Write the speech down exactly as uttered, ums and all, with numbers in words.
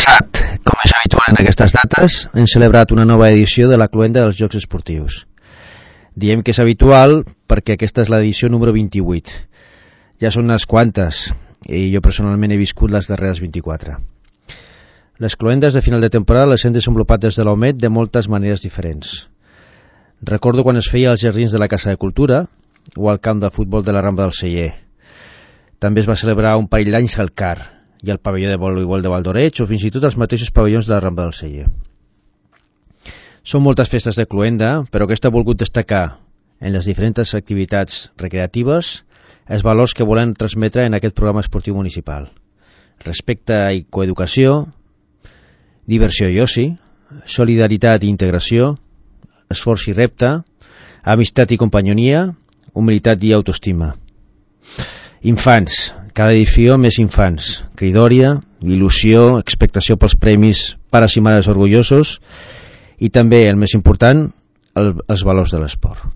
passat, com és habitual en aquestes dates, hem celebrat una nova edició de la cloenda dels Jocs Esportius. Diem que és habitual perquè aquesta és l'edició número vint-i-vuit. Ja són unes quantes, i jo personalment he viscut les darreres vint-i-quatre. Les cloendes de final de temporada les hem desenvolupat des de l'O M E D de moltes maneres diferents. Recordo quan es feia als jardins de la Casa de Cultura o al camp de futbol de la Rambla del Celler. També es va celebrar un parell d'anys al C A R i al pavelló de voleibol de Valdoreig o fins i tot els mateixos pavellons de la Rambla del Celler. Són moltes festes de cloenda, però aquesta ha volgut destacar en les diferents activitats recreatives els valors que volen transmetre en aquest programa esportiu municipal. Respecte i coeducació, diversió i oci, solidaritat i integració, esforç i repte, amistat i companyonia, humilitat i autoestima. Infants, cada edició més infants, cridòria, il·lusió, expectació pels premis, pares i mares orgullosos i també, el més important, el, els valors de l'esport.